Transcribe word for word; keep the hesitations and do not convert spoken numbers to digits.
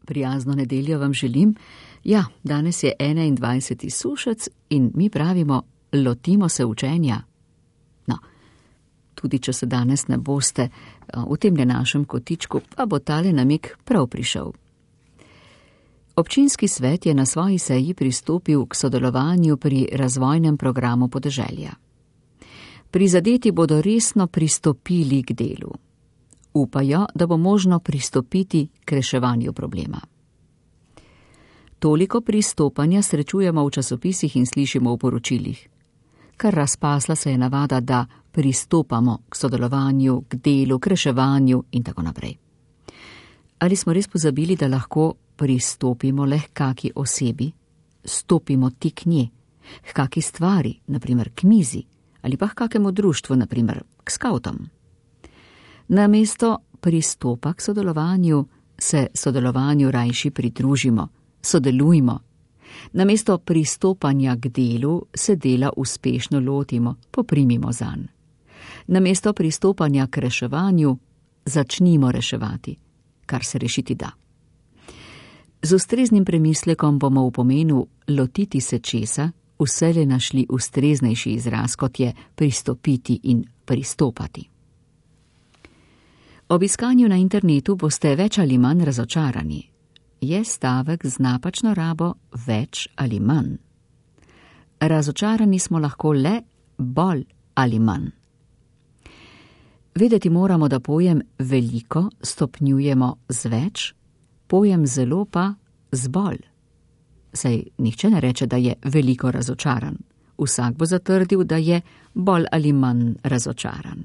Prijazno nedeljo vam želim. Ja, danes je enaindvajseti sušec in mi pravimo, lotimo se učenja. No, tudi če se danes ne boste, v temle našem kotičku pa bo tale namig prav prišel. Občinski svet je na svoji seji pristopil k sodelovanju pri razvojnem programu podeželja. Prizadeti bodo resno pristopili k delu. Upajo, da bo možno pristopiti k reševanju problema. Toliko pristopanja srečujemo v časopisih in slišimo v poročilih. Kar razpasla se je navada, da pristopamo k sodelovanju, k delu, k reševanju in tako naprej. Ali smo res pozabili, da lahko pristopimo le k kaki osebi, stopimo ti k nje, k kaki stvari, naprimer k mizi, ali pa k kakemu društvu, naprimer k skautom. Namesto pristopa k sodelovanju, se sodelovanju rajši pridružimo, sodelujmo. Namesto pristopanja k delu se dela uspešno lotimo, poprimimo zanj. Namesto pristopanja k reševanju začnimo reševati, kar se rešiti da. Z ustreznim premislekom bomo v pomenu lotiti se česa vselej našli ustreznejši izraz, kot je pristopiti in pristopati. Ob iskanju na internetu boste več ali manj razočarani. Je stavek z napačno rabo več ali manj. Razočarani smo lahko le bolj ali manj. Vedeti moramo, da pojem veliko stopnjujemo z več, pojem zelo pa z bolj. Saj nihče ne reče, da je veliko razočaran. Vsak bo zatrdil, da je bolj ali manj razočaran.